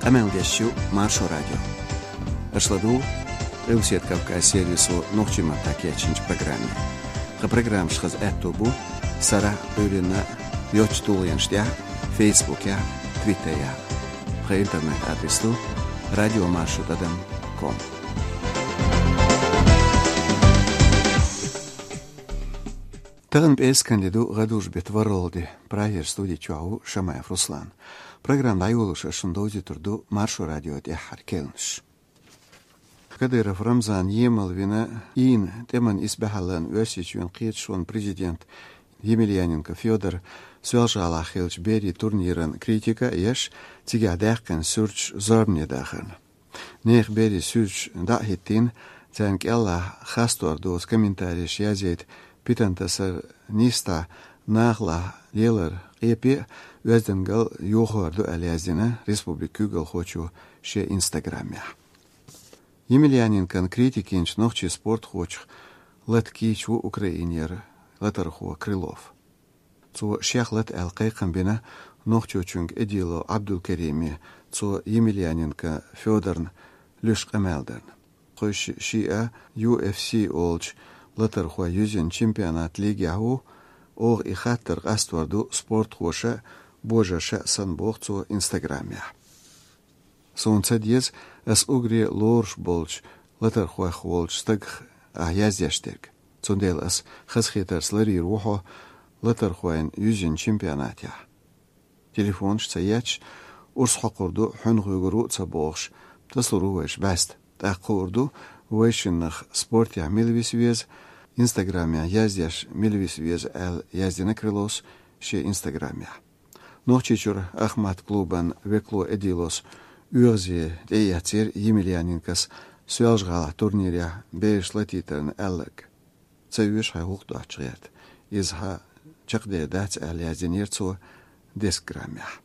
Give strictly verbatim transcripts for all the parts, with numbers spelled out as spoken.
Къамел деш ю Маршо радио. Аша ладугӀу Къилбаседа Кавказ сервисо нохчийн маттахь кечйинчу программе. Тхан программаш хаза аьтто бу сарахь а, Ӏуьйранна а йоцчу тулгӀенаш тӀехь а, Фейсбукехь а, Твиттерехь а. Тхан интернет-адрес ду радиомаршо тӀадам ком. Тахана пӀераскан де ду, гӀадужу беттан ворхӀалгӀа де. Прагера студи чохь ву Шамаев Руслан. Программа дӀайолош ас шуна довзуьйтур ду Маршо радион тӀаьххьара керланаш. Кадыров Рамзан емал вина, ийна тӀеман исбаьхьаллина Оьрсийчоьнан кхеташонан президент Емельяненко Фёдор Соьлжа-ГӀалахь хиллачу берийн турниран критика а еш, цигахь даьккхина суьрташ зорбане дахарна. Нехан берийн суьрташ дӀа а хӀиттийна, царна кӀелахь хастор доцу комментареш язйийта питантасар нийса нахалахь лелар къепе а, оьздангалла йохор ду аьлла яздина республикан куьйгалхочо шен инстаграмехь. Емельяненкон критика йинчу нохчийн спортхочух лата кийча ву Украинера латархо Крылов. Цо шех лата аьлла кхайкхам бина Нохчийчуьнга Эдилов Ӏабдулкериме, цо Емельяненко Фёдорна луьйш къамел дарна. Кхуьйсу шиъ а U F C олучу латархойн юьззина чемпионат лигехь ву, оха и хаттар къастор ду спортхоша а, божарша а санна, боху цо инстаграмехь. Суна ца деза ас уггаре лоруш болчу латархойх волчу стагах ахь яздеш дерг. Цундела ас хазахетарца ларийр ву хьо латархойн юьззина чемпионатехь. Телефонаш ца етташ, урс хьокхур ду, хьуьнах вуьгур ву а ца бохуш, тасалур ву вайша бӀаьста. ТӀаккха хуур ду, вайшиннах спортехь мила виса веза, инстаграмехь яздеш мила виса веза аьлла, яздина Крыловс шен инстаграмехь. Нохчийчуьра «Ахмат» клубан векало Эдилос оьгӀазе тӀеэцнера Емельяненкос Соьлжа-ГӀалахь турнирехь бераш латийтарна аьлларг. Ца оьшу хьайн гӀуллакх доцчу гӀерта. Иза хьан чекхдер дац аьлла яздинера цо десять граммехь.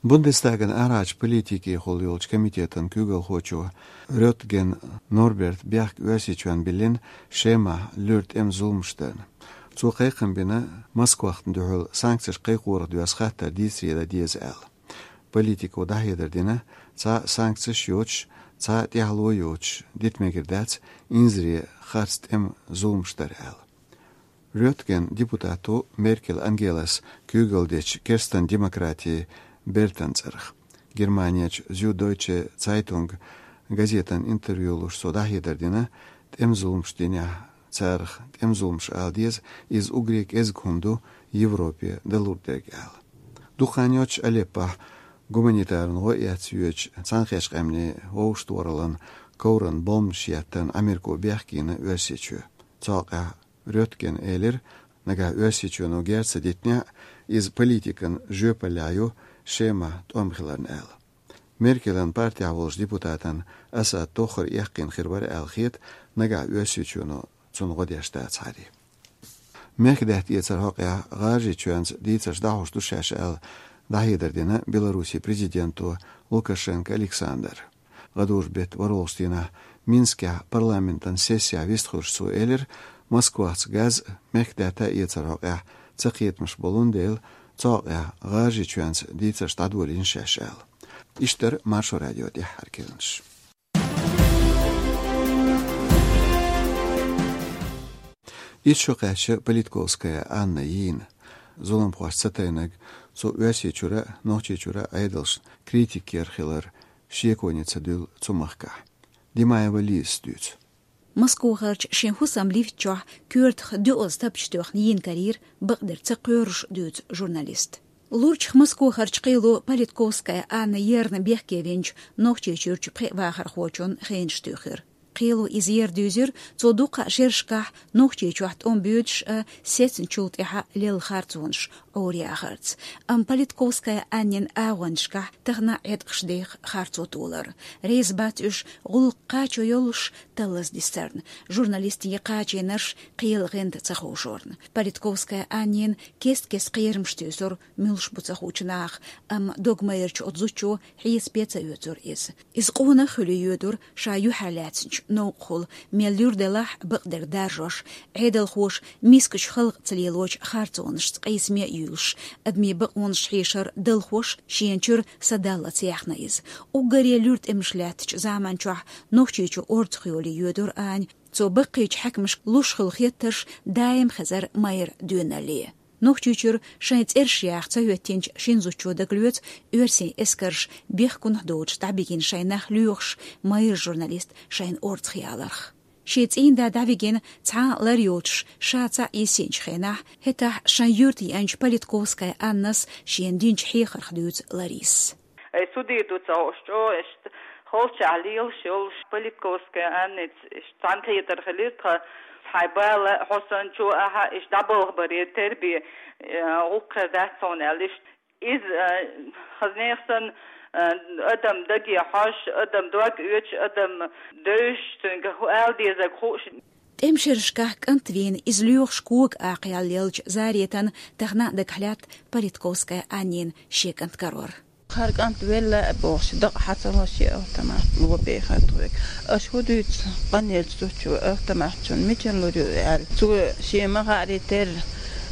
Бундестаган арахьарчу политикехула йолчу комитетан куьйгалхочо Рётген Норберта бехк Оьрсийчоьнна биллина Шемахь луьра тӀеман зуламаш дарна. Цо кхайкхам бина Москвахна дуьхьал санкцеш кхайкхорах доьзна хаттар дийцаре дан деза аьлла. Политико дӀахьедар дина, цхьа санкцеш йоцуш, цхьа тӀаьхьало йоцуш дита мегар дац инзаре харц тӀеман зуламаш дар аьлла. Рётген депутат ву Меркель Ангелас куьйгалла дечу керстан демократийн бертан цӀарах. Германерчу Зюдойче Цайтунг газетан интервью луш цо дӀахьедар дина, тӀеман зуламаш динехь, царах тӀеман зуламаш ала деза, иза уггаре кӀезиг хӀума ду Европе далур дерг аьлла. Дукха хан йоццуш Алеппохь гуманитаран гӀо эцна йоьдучу Цхьаьнакхеттачу Къаьмнийн Вовшахтохараллин ковран бомбанаш еттарна Америко бехке йина Оьрсийчоь. Цу хьокъехь Рётгена элира, нагахь Оьрсийчоьно герз ца дитинехь а, иза политикан жоьпаллехь ю Шемахь тӀом хиларна аьлла. Меркелан партехь волчу депутатан Асад тоххар эккхийна хир вара аьлла хета, нагахь Оьрсийчоьно цунна гӀо деш дацахьара. Мехкдаьтта эцаран хьокъехь ГӀажарийчоьнца дийцарш дӀахьош ду шаьш аьлла, дӀахьедар дина Беларусин президенто Лукашенко Александра. ГӀадужу беттан ворхӀалгӀачу дийнахь Минскехь парламентан сессехь вистхуьлуш цо элира, Москвахца газ мехкдаьтта эцаран хьокъехь цакхетамаш болун дела, цу хьокъехь ГӀажарийчоьнца дийцарш дӀадолийна шаьш аьлла. Иштта дара Маршо радион тӀаьххьара керланаш. Итт шо кхаьчна Политковская Анна йийна. Зуламхошца ца тайнарг цо Оьрсийчуьра а, Нохчийчуьра а Ӏедалшна критика яр хилар шеконе ца дуьллу цу махкахь. Димаева Лизас дуьйцу. Москвахарчу шен хӀусаман лифта чохь коьртах доьазза тапча тоьхна йийна карийра бакъдерг ца кхоьруш, дуьйцу журналиста. Лурчах Москвахарчу кхело Политковская Анна ерна бехке винчу Нохчийчуьрчу пхеа вахархочун хенаш туьйхира. Кхело иза ер дуьйзира, цо дуккха а шерашкахь Нохчийчохь тӀом боьдуш а, сецначул тӀаьхьа лелла харцонаш Ӏораяхарца. Амма Политковская Аннин агӀончашкахь тахана а Ӏеткъаш деха харцо толар. Реза бац уьш гӀуллакх кхачо йолуш таллаза дисарна, журналистийн кхачийнарш кхелан гӀанта ца ховшорна. Политковская Аннина кест-кеста кхерамаш туьйсура, муьлш бу ца хуучу наха, амма догмайрачу оцу зудчо хьесапе ца оьцура иза. Иза къонах а хуьлий йоьдура ша юьхьарлаьцначу новкъахула, мел луьра делахь а бакъдерг даржош, Ӏедалхоша мискачу халкъаца лелочу харцонашца къийсаме а юьйлуш, адамийн бакъонаш хьешар далхош, шена чуьра са даллалц яьхна иза. Уггаре луьра тӀемаш лаьттачу заманчохь Нохчийчу орцахйоле йоьдура Аня. Цо баккхийчу хьаькамашка луш хуьлу хеттарш даим хезара майра доьналле. Нохчийчуьра шайн цӀераш яха ца хӀоьттинчу шина зудчо дагалоьцу оьрсийн эскарша бехкунах доцуш дӀабигина шайн нах лоьхуш майра журналист шайна орцахъяларх. Шен цӀийнда дӀавигина цхьа а лар йоцуш ша цхьаъ йисинчу хенахь, хӀетахь шайн юьрта еанчу Политковская Аннас шена динчу хьехарх дуьйцу Ларисас. Ай, судий ду ца хууш чӀогӀа иштта холчахь лелаш йолуш Политковская Анница иштта цхьаьнакхетар хилира тхан, хьайн бала, хьо санна чу ахьа, иштта дӀабалхабаре тера бен, э, гӀуллакх хир дац хьуна аьлла иштта. Иза, э, хаза нехан санна, э, адам даге хьожуш, адам дог оьцуш, адам девзаш, цуьнга хӀу ала дезарг хууш. ТӀемашерашкахь кӀант вийна иза лоьхуш кога акхаяллелча Заретан тахана а дагахь лаьтта Политковская Аннин шен кӀант карор. Хьара кӀант велла а бохуш, дакъа хьа ца ло шен автомат ло бехар тхоьга. Аша хӀун дуьйцу къанъеллачу зудчо, автомат цунна мичара лур ю аьлла. Цо шен ма хаъара терра,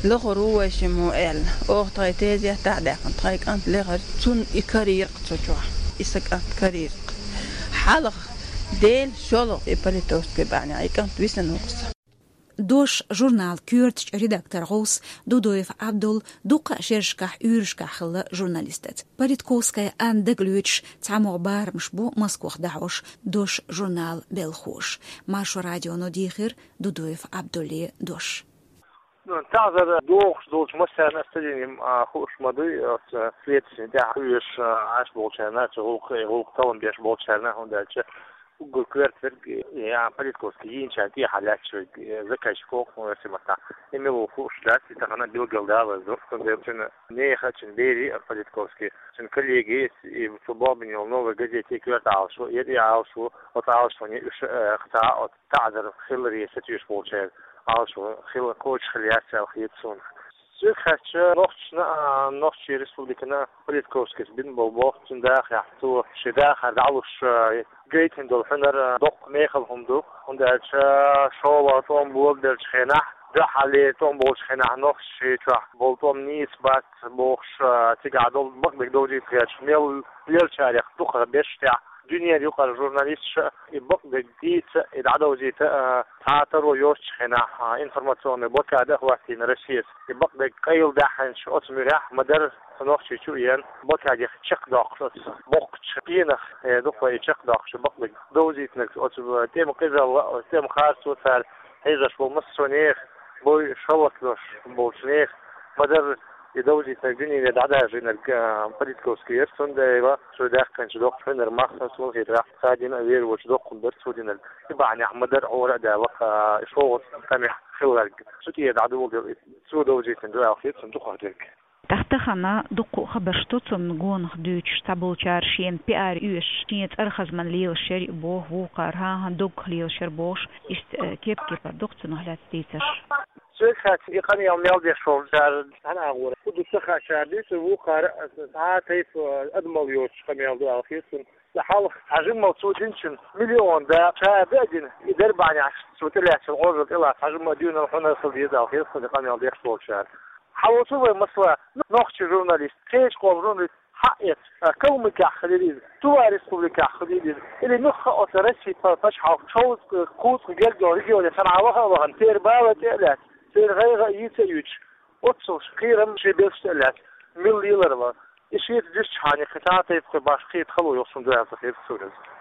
лахара ву вай шиммо аьлла. Оха тхайн тезет дӀа а даьккхина, тхайн кӀант лехара, цунна и карийра-кх цу чохь. И сан кӀант карийра-кх. Хьалха, Дела, шолгӀа и Политовская бӀаьнехь и кӀант висина ву-кх сан. «Дош» журнал коьртачу редактор гӀовс Дудоев Абдул дуккха а шерашкахь уьйрашкахь хилла журналистаца. Политковская Анна дагалоьцуш цхьамогӀа барамаш бу Москвах дӀахьош «Дош» журнала белхахоша. Маршо радионо дийхира Дудоев Абдуллин дош. Ну, таӀзар дохуш долчу массарна аса ца дина, а, хууш ма дуй, оцу следствин тӀехь хьоьжуш, а, Ӏаш болчарна, цу гӀуллакх, гӀуллакх таллам беш болчарна, хӀунда аьлча уггар коьртверг, я, Политковский йийначарна тӀехьа лаьтташ верг, э, заказчик ву-кх, ну, оьрсийн маттахь. И мила ву хууш дац, и тахана билгалдалаза ду, цундела цуьнан нехан, цуьнан берийн а, Политковский, цуьнан коллегин а, и цо бохбина йолу «Новая газета» коьрта Ӏалашо, и Ӏалашо, оцу Ӏалашоне уьш, э, кхин цхьа а оцу таӀзар хиларе сатуьйсуш болчеран Ӏалашо хила кхочуш хила яц аьлла хета суна. Соьга хаьттича, нохчашна а, Нохчийн республикана а Политковскийс бина болу боху цуьнан дахарехь, цо шен дахар дӀалуш, а, гайтина долу хьуьнар, а, доккха мехала хӀума ду, хӀунда аьлча шолгӀа тӀом болабеллачу хенахь, дуьххьарлера тӀом болчу хенахь нохчашна чохь болу тӀом нийса бац бохуш, а, цигахь долу бакъдерг довзийта гӀерташ мел лелачарех дукхах берш тӀехь дуьненан юкъара журналисташа и бакъдерг дийца, и дӀадовзийта, а, цхьа а таро йоцучу хенахь, а, информационный блокада а хӀоттийна Россияс. И бакъдерг къайладаьхьначу оцу муьрехь ма-дарра цу Нохчийчу а еана, блокадех чекхдоккхуш оцу боккхачу пенах, э, дукха и чекхдоккхуш бакъдерг довзийтинарг оцу тӀеман къизалла, оцу тӀеман харцо цара хьийзош болу массо а нехан, бой шаллакдош болчу нехан, ма-дарра и довзийтинарг дуьнене дӀадаржийнарг, а, Политковский яра, цундела цо даьккхинчу доккхачу хьуьнаран мах, суна хетарехь, цхьа дина а вер волчу доккханбар цо динарг. И бахьанехь ма-дарра Ӏора а даьлла-кх, а, и шолгӀа тӀамехь хилларг. Цу тӀера дӀадоладелла и цо довзийтина ду аьлла хета суна дукхахдерг. ТӀаккха тахана дуккха а хабарш ду цунна гонах дуьйцуш, цхьаболчара шена пиар оьшуш, шен цӀарах хазман лелаш яра и боху, вукхара хӀан-хӀан доггах лелаш яра бохуш, иштта, э, кеп-кепара ду-кх цунах лаьцна дийцарш. Соьга хаьттича, и къамел мел деш волчара цхьана агӀора хӀун ду ца хаьа, дуьйцура вукхара, цхьа а тайпа адамалла йоцуш къамел ду аьлла хета суна. Ткъа хьалха цхьа жимма цо динчун миллион да, ша а дина, и дерриг бахьанехь цо тӀелаьцначу Ӏожалла тӀелаца цхьа жимма а доьналла хьуьнар хила деза аьлла хета суна и къамел деш болчара. Хьан ву цу вай масала, нохчийн журналист, кхечу къоман журналист, хьаэца, а, Калмыкехь хилийла иза, Тува республикехь хилийла иза, или муьлхха а оцу Россин па-, пачхьалкхан шовзткъа, кхузткъа гергга регионе санна ваха а вахана, церан бала тӀе а лаьцна, церан гӀайгӀа а йийца а юьйцуш, оццул кхерам шен белшаш тӀе а лаьцна, мила лелар ван. И шеца дуьстичхьана кхин цхьа а тайпа кхин башха кхета хало йолуш хӀума ду аьлла ца хета суна иза.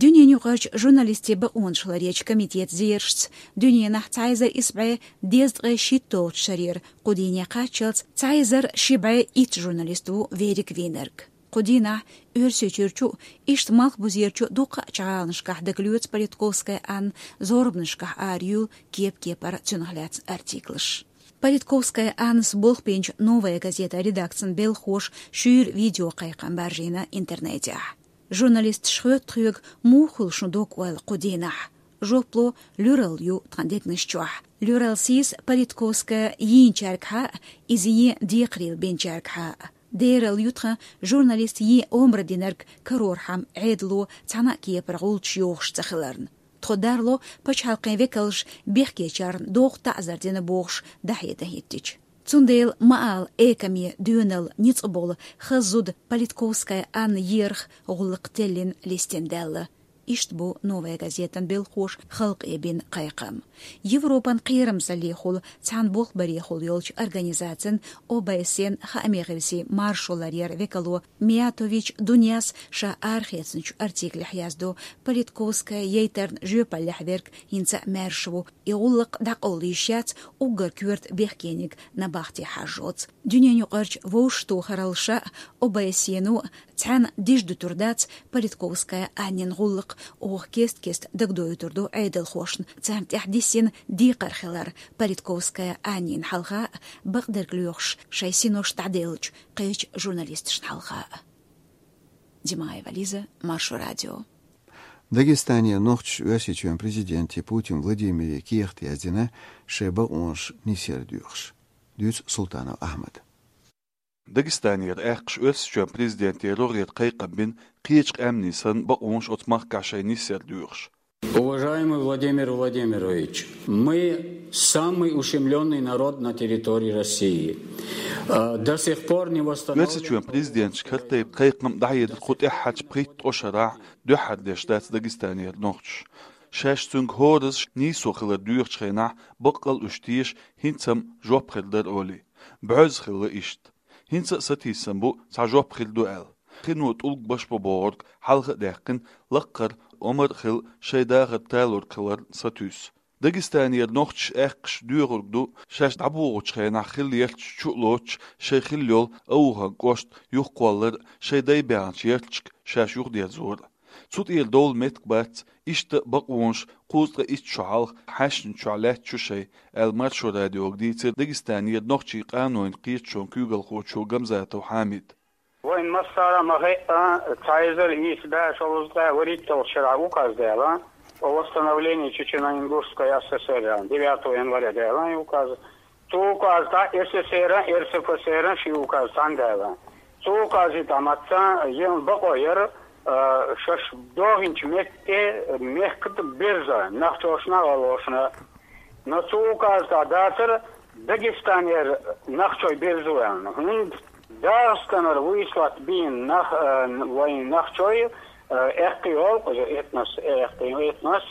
Дуьненаюкъарчу журналистийн бакъонаш ларъечу комитетан зерашца, дуьненахь цхьа эзар исс бӀе дезткъе шийтталгӀачу шарера кху дийне кхаччалц цхьа эзар ши бӀе итт журналист ву верриг вийнарг. Кху дийнахь Оьрсийчуьрчу а, иштта Малхбузерчу а дуккха а гӀаланашкахь дагалоьцу Политковская Анна зорбанашкахь араюьйлу кеп-кепара цунах лаьцна артиклаш. Политковская Аннас болх бинчу «Новая газета» редакцин белхахоша шуьйра видеокхайкхам баржийна интернетехь. Журналисташа хоьтту тхоьга, муха хуьлу шун дог-ойла кху дийнахь? Жоп ло: луьралла ю тхан дегнаш чохь. Луьралла сийса Политковская йийначаьргахьа а, иза ен декхарийлахь бинчаьргахьа а. Дералла ю тхан журналист ен омра динарг карорхьама Ӏедало цхьана а кепара гӀулчаш йохуш ца хиларна. Тхо дарло пачхьалкхийн векалш бехкечарна доху таӀзар дина бохуш дӀахьедан хӀиттича. Цундела ма ала, экаме доьналла ницкъ болу хаза зуда Политковская Анна ерах гӀуллакх теллина листина даьлла. Иштта бу «Новая газетан» белхоша халкъе бина кхайкхам. Европан кхерамзаллехула цхьана болхбарехула йолчу организацин, О Б С Н хаамийн гӀирсийн маршо ларъяран векало Миятович Дуняс ша арахецначу артиклехь яздо, Политковская яйтарна жоьпаллехь верг хӀинца а маьрша ву, и гӀуллакх дӀакъовла йиш яц уггар коьрта бехкениг набахте хьажжоц. Дуьненаюкъарчу вовшахтохараллаша а, О Б С Н а цхьаьна дижа дуьтур дац Политковская Аннин гӀуллакх, оха кест-кеста дагадоуьйтур ду Ӏедалхошна царна тӀехь диссина декхар хилар Политковская Аннин хьалха а, бакъдерг лоьхуш шайн синош дӀаделлачу кхечу журналисташна хьалха а. Димаева Лиза, Маршо радио. Дагестанера нохчаша Оьрсийчоьнан президенте Путин Владимире кехат яздина шайн бакъонаш нисъяр доьхуш. Дуьйцу Султанов Ахьмада. Дагестанера аьккхаша Оьрсийчоьнан президенте рогӀера кхайкхам бина, кхечу къаьмнийн санна, бакъонаш оцу махкахь шайн нисъяр доьхуш. Уважаемый Владимир Владимирович, мы самый ущемлённый народ на территории России. А, до сих пор не восстановлен... Оьрсийчоьнан президенташка хӀара тайпа кхайкхам дӀахьедар кху тӀаьххьарчу пхийтта-ткъа шарахь дуьххьара деш дац Дагестанера нохчаша. Шаьш цуьнга хӀоразза нийсо хилар доьхучу хенахь, баккъал а уьш теша, хӀинца-м жоп хир дара олий. Боьзна хилла иштта. ХӀинца а сатийсам бу, цхьа жоп хир ду аьлла. Хино тӀулг баш бан бохург хьалха а даьккхина, лаккхара омра а хилла, шайн дахар талорг хиларна сатуьйсу. Дагестанера нохчаша аьккхаша доьхург ду, шаьш дӀабогӀучу хенахь хилла ярташ чу а лоцуш, шайн хилла йолу Ауховн кӀошт юхакхоллар а, шайн дай баьхначу ярташка шаьш юхадерзор а. Цу тӀера довла меттиг бац, иштта бакъонаш кхузткъе итт шо хьалха хьаьшначохь лаьтташ ю шайн, аьлла, Маршо радиога дийцира Дагестанера нохчийн къанойн кхеташонан куьйгалхочо Гамзатов Хьамида. Вайн массара а ма-хаъара, цхьа эзар ийс бӀе шовзткъе вуьрхӀитталгӀачу шарахь указ даьлла о восстановлении Чечено-Ингушской А С С Р, девятого января даьлла и указ. Цу указа тӀехь С С Р а, Р С Ф С Р а ши указ цхьаьна даьлла. Цу указа тӀехь мацца елла бакъо яра, а, шаьш дохийначу метте мехкан тӀе берза, нохчашна а, гӀалгӀашна а. Но цу указа тӀехь дацара Дагестанера нохчий берзо аьлла. ХӀунда ДагӀастанара вуйсалат бийна нах-, а, вайн нохчий, а, эккхий олу, иза этнос, эккхий этнос,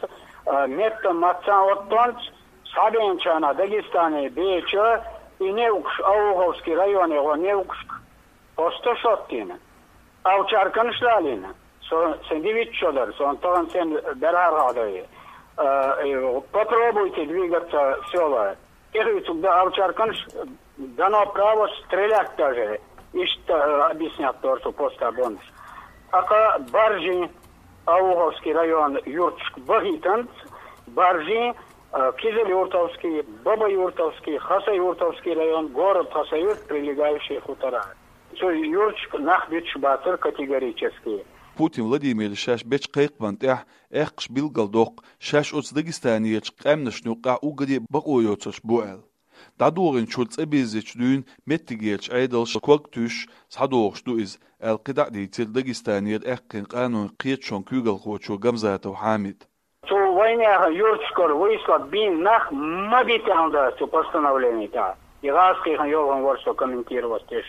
а, метта мацца оттонца, схьабеанчарна Дагестане беча, и неукъаш Ауховский районе гӀо неукъашка посто шоттийна. Овчарканаш далийна. Со, сайн дивитта шо дара, сон тахана сен берхӀар хьадой. Э, э, попробуйте двигаться в сёла. ТӀехуьйцург дан овчарканаш, дано право стрелять даже. Иштта, э, объяснять дора цу поста болнаш. ТӀаккха Баржин, Ауховский район юрташка бахийтанца, Баржин, э, Кизилюртовский, Бабаюртовский, Хасаюртовский район, город Хасавюрт, прилегающие хутора. Цу юрташка нах буьтуш бацара категорически. Путин Владимира шаьш бечу кхайкхамна тӀехь аьккхаша билгалдоккху, шаьш оцу Дагестанерчу къаьмнашна юккъехь уггаре а бакъо йоцурш бу аьлла. ДӀадохийначуьра цӀа бирзинчу дуьйна меттигерчу Ӏедалша ког туьйсуш схьадогӀуш ду иза, аьлла, кхидӀа а дийцира Дагестанера аьккхийна къанойн кхеташонан куьйгалхочо Гамзатов Хьамида. Цу вайнехан юрташкара вуйсалат бийна нах ма битта аьлла дара цу постановлени тӀехь. И гӀазкхийхан йолхана вара со комментировать деш.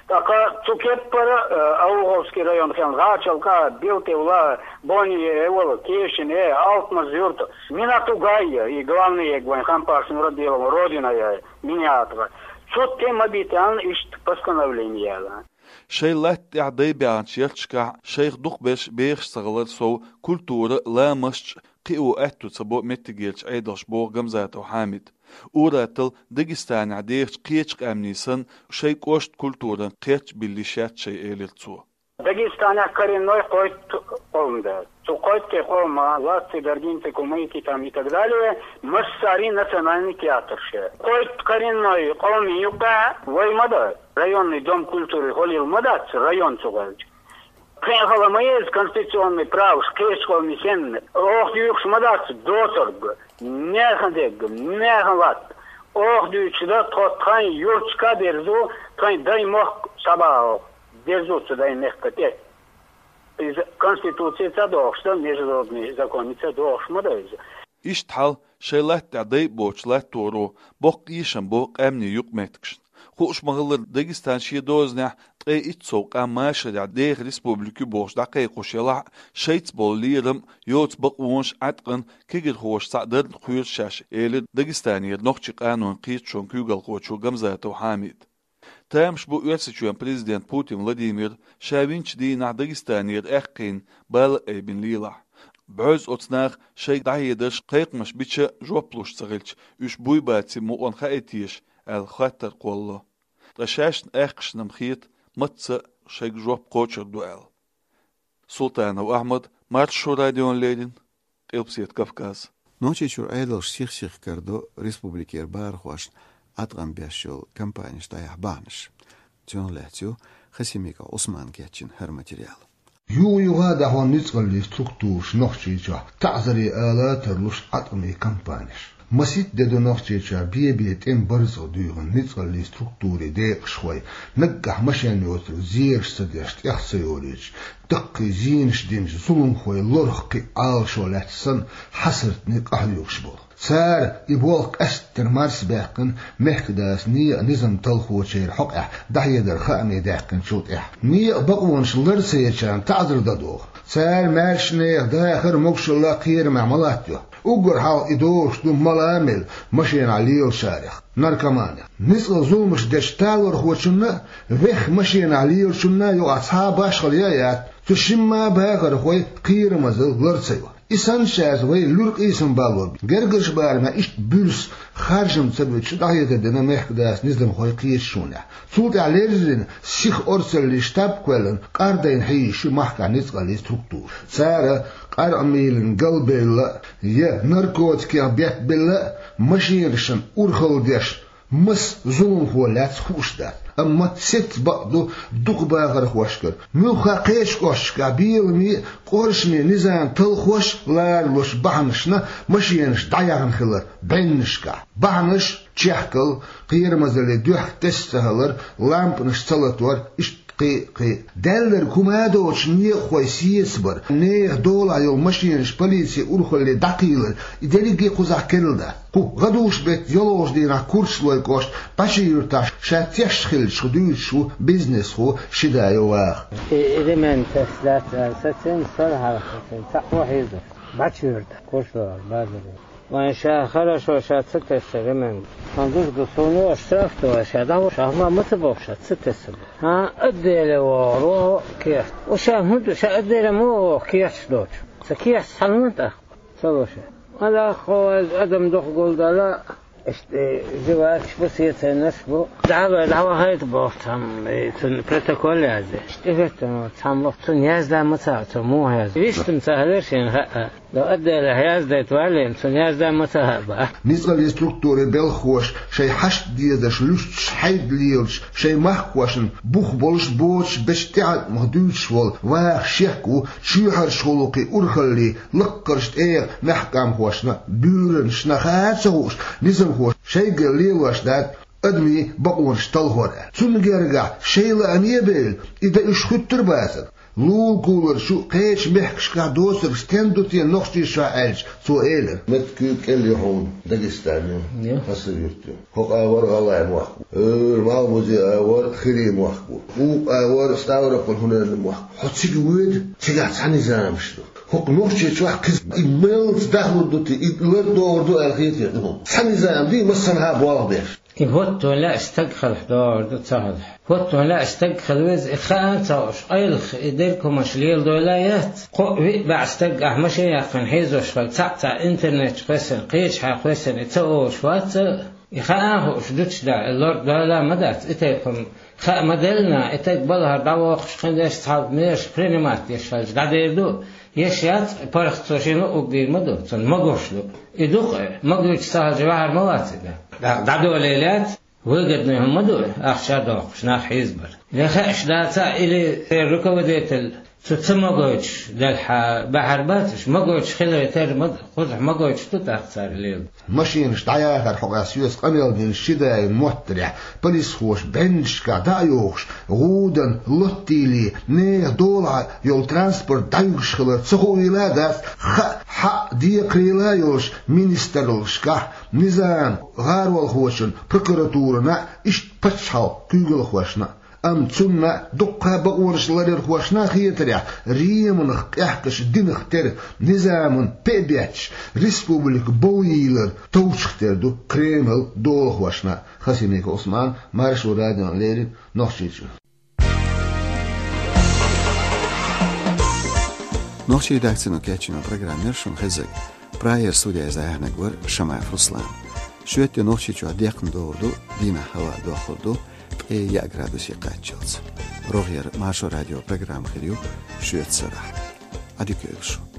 ТӀаккха цу кеппара, э, Ауховский район хилла, ГӀачалкӀа, Билтевла, Бони, Эвала, Кешин, э, Алтмаз-Юрт, Минатугай, и главный эг вайн Хампаш Нурадилова родина я, Миниатова. Цу тӀе ма битта аьлла иштта постановлени яьлла. Шайн латта тӀехь дай баьхначу ярташкахь шайх дукхахберш бехаш ца хилар сов, культура, ламасташ кхио аьтто ца бо меттигерчу Ӏедалша, боху Гамзатов Хьамида. Ур-атталла Дагестанехь дехачу кхечу къаьмнийн санна, шайн кӀоштан культуран кхерч а билла йиш яц шайн, элира цо. Дагестанехь коренной кхойтта къовм ду. Цу кхойтта къовман: латций, даргинций, кумыкий там и так далее, массарин национальный театрш. Кхойтта коренной къовмийн юккъехь вай ма ду, районный дом культуры хӀоллийла ма дац, район цу гӀелча. Кхин хала ма еза конституционный праваш кхечу къовмийн санна, оха дуьйхуш ма дац доцург, нехан дерг, нехан латта. Оха дуьйцуш дан тхо тхайн юрташка а дерзо, тхайн даймохк схьабаха дерзо цу даймехка тӀе. Иза Конституци ца дохуш дан, международный закони ца дохуш ма дан иза. Иштта хьал шайн латта тӀехь дайа боцчу латторо боккха эшам бо къаьмнийн юкъаметтигашна. Хууш ма-хиллара, Дагестан шен дозанехь ткъе итт сов къам машарехь деха республика ю бохуш дӀакхайкхош елахь а, шайца болу лерам а, йоцу бакъонаш а Ӏаткъан кегирхоша цхьаъ дарна кхоьру шаьш, элира Дагестанера нохчийн къанойн кхеташонан куьйгалхочо Гамзатов Хьамида. Тамаш бу Оьрсийчоьнан президент Путин Владимира ша винчу дийнахь Дагестанера аьккхийна бала а айбина лелахь. БӀозза оцу наха шайга дӀахьедарш, кхайкхамаш бича а жоп луш ца хилча, уьш буй-баций мукъана хаий теша аьлла хаттар кхоллало. Ткъа шаьшна аьккхашна-м хета, мацца а шайга жоп кхочур ду аьлла. Султанов Ахьмад, Маршо радиона леррина, Къилбаседа Кавказ. Нохчийчуьра Ӏедалша сих-сиха карадо республикера бахархошна Ӏаткъам беш йолу кампанеш дӀаяхьа бахьанаш. Цунах лаьцна ю Хасимиков Ӏусмана кечйина хӀара материал. Юха-юха а дӀахьо ницкъаллийн структураша Нохчийчохь таӀзаре ала а тарлуш Ӏаткъамийн кампанеш. Масийтта де ду Нохчийчохь бе-бе тӀеман барзакъ дуьйхина ницкъаллийн структурийн декъашхой, наггахь машен йоцург зераш ца деш, тӀех ца йолуьйтуш, даккхий зенаш динчу зуламхойн лорах кхин а Ӏалашо лаьцна санна, хьасартане къахьоьгуш болу. Цара и болх къаьсттина марсабаьккхина, мехкадас некъан низам талхочеран хьокъехь дӀахьедар хаамийн даьккхинчул тӀаьхьа. Некъан бакъонаш лар ца ечарна таӀзар дан доху. Цара маьрша нехан дахар а, могушалла а кхерамехь ма латтайо. Уггар хьалха и догӀуш ду мала а мелла машенахь лелачарех, наркоманех. Ницкъала зуламаш дечу талорхочунна а, вехха машенахь лелачунна а юкъахь цхьа а башхалла яц, цу шимма а бахархой кхерамазалла лар ца йо. И санначаьрца вай луьра къийсам балло. Гергарчу барамехь иштта буьрса харжам ца битта дӀахьедар дина мехкадас низамхойн кхеташонехь. Цул тӀаьхьа леррина сиха орцаллин штаб а кхоьллина, къардайна хьийзаш ю махкахь ницкъаллийн структура. Цара къаркъа мийлана галбевлла а, я наркотикех беттабелла а, машенашна урхалла деш, маса зуламхо лаьцна хууш дац. Амма сецца бакъ ду дукха бахархошкара, муьлхха кхечу кӀошташкахь беламе а, къоршаме низам талхош а ларалуш бахьанашна машенаш дӀаяьхна хилар бӀеннашкахь. Бахьанаш: чехкал, кхерамазаллин дуьхьа тесна ца хилар, лампанаш ца латор, иштта кхин а, кхин а. Даьлларг хӀума а доцуш, некъахой сецабар, нехан долахь йолу машенаш полицин урхалле дӀакхийлар, и дерриге а кхузахь керла дац. Кху гӀадужу беттан йолхалгӀачу дийнахь Курчалойн кӀоштан Бачи-Юьртахь ша тешна хиллачух дуьйцуш ву бизнесхо Шидаев Ваха. И, и ремень тесна дац аьлла сацийна, сара хьалха сацийна, цхьаъ ву хьийзар. Бачи-Юьртахь, Курчалойн базар. Вайн ша хорошо ша ца тесна ремень. Хан дус ду суна, аша штраф ду, ша дӀа ву, ша хӀума ма ца боху, ша ца тесна. ХӀан, отделе вогӀур ву кехат. Ву ша хӀун ду, ша отделе ма вогӀу кехаташ доцуш. Сан кехаташ цхьана ма тӀаккха. Ца ло ша. Ма даккха, хьо вайза адам дукха гулдала, иштта, э, живаркаш бу, сеценаш бу. ДӀахо дӀавахийта боху цхьамма, э, цунна протокол язде. Иштта хӀоьттина цхьамма боху, цунна язда ма ца хаьа, цо муха язду. Вистам ца хилира шена хаьа. До отделе яздайта валлина, цунна язда ма ца хаьа боху. Ницкъаллийн структурийн белхахоша шайн хьашт дезарш луьстуш, хьайда лелаш, шайн махкахошна бух болуш, боцуш, бечу тӀеӀаткъамах дуьйцуш волу Ваха шек ву чоьхьарчу гӀуллакхийн урхаллин лаккхарчу тӀегӀан мехкан къамхошна, буьйранашна хаа а ца хууш, низамхоша шайгара лелош дац адамийн бакъонаш талхор аьлла. Цунна гергахь шайн лааме а бевлла, и дан уьш хуьттур бацара. Лулакулара чу кхечу мехкашкахь доцург стен ду те Нохчийчохь аьлча, цо элира: «Меттиг куьйга кӀел ю хьуна, Дагестан ю, Хасавюрт ю. ХӀокху агӀор ГӀалгӀайн мохк ву. ХӀора Малхбузен агӀор хирийн мохк ву. Укх агӀор Ставрополь-ХӀуненан мохк ву. Хьо цига воьду, цигахь цхьа низамаш ду. ХӀокху Нохчийчохь кхин и меллаца дахлур ду те, и лардохур ду аьлла хетий хьуна? Цхьа низам дий, массанхьа болх беш». И хӀоттон лаьа стаг хилахь догӀур ду, ца хилахь. ХӀоттон лаьа стаг хила веза, и хаа а ца хууш, къайлаха и дерг хӀуманаш леладойла а яц. Кхоъ-виъ бӀе стаг ахь машен яьккхина хьийзош хилла, цхьаъ-цхьаъ интернет чу кхоьссина, кхечахьа кхоьссина, и ца олуш вац а, и хаа а хууш, дучу да, и лор дойла а ма дац, и тайпа-м хаа ма делла, и тайпа балхара дӀавоккхуш кхин деш цхьалба мераш принимать деш хилча, дӀадер ду. Еш яц, паргӀат цо шена луъург дийр ма ду, цунна магош ду. И ду-кх, магийча ца хилча ваьхьар ма вац и дан. ДӀа-, дӀадолийла яц, выгодный хӀума ма ду, ахча доккхуш, нах хьийзабар. Я хууш дац а, или церан руководитель Цу ца магойтуш делхьа бахьар бац, уьш магойтуш хиларе терра ма-, кхузахь магойтуш ду тӀаккха цара лела. Машинаш дӀаяхар хьокъехь соьца къамел дина ши дай моттарехь, полисхоша бӀеннашкахь дӀа а йохуш, гӀудан лоттийла, нехан долахь йолу транспорт дӀаюьгуш хилар ца хуийла а дац, хаа, хьаа, декхарийла а йолуш министраллашкахь, низам гӀаролхочун, прокуратурана а, иштта пачхьалкхан куьйгалхошна а. Амма цунна а, дуккха а бакъонаш ларъярхошна а хетарехь, Риманах къехкаш динах тера, низаман пе а бетташ, республика бовйийлар товчух тера ду Кремлан долахошна а. Хасимиков Ӏусман, Маршо радиона леррина, Нохчийчоь. Нохчийн редакцино кечйина программа яра шуна хезнарг. Прагера студехь иза хьоьхуш вара Шамаев Руслан. Шоьтан де Нохчийчохь декхна догӀур ду, дийнахь хӀаваъ доккхур ду ткъе яа градусе кхаччалц. РогӀера Маршо радион программа хир ю шоьтан сарахь. Ӏадика йойла шун.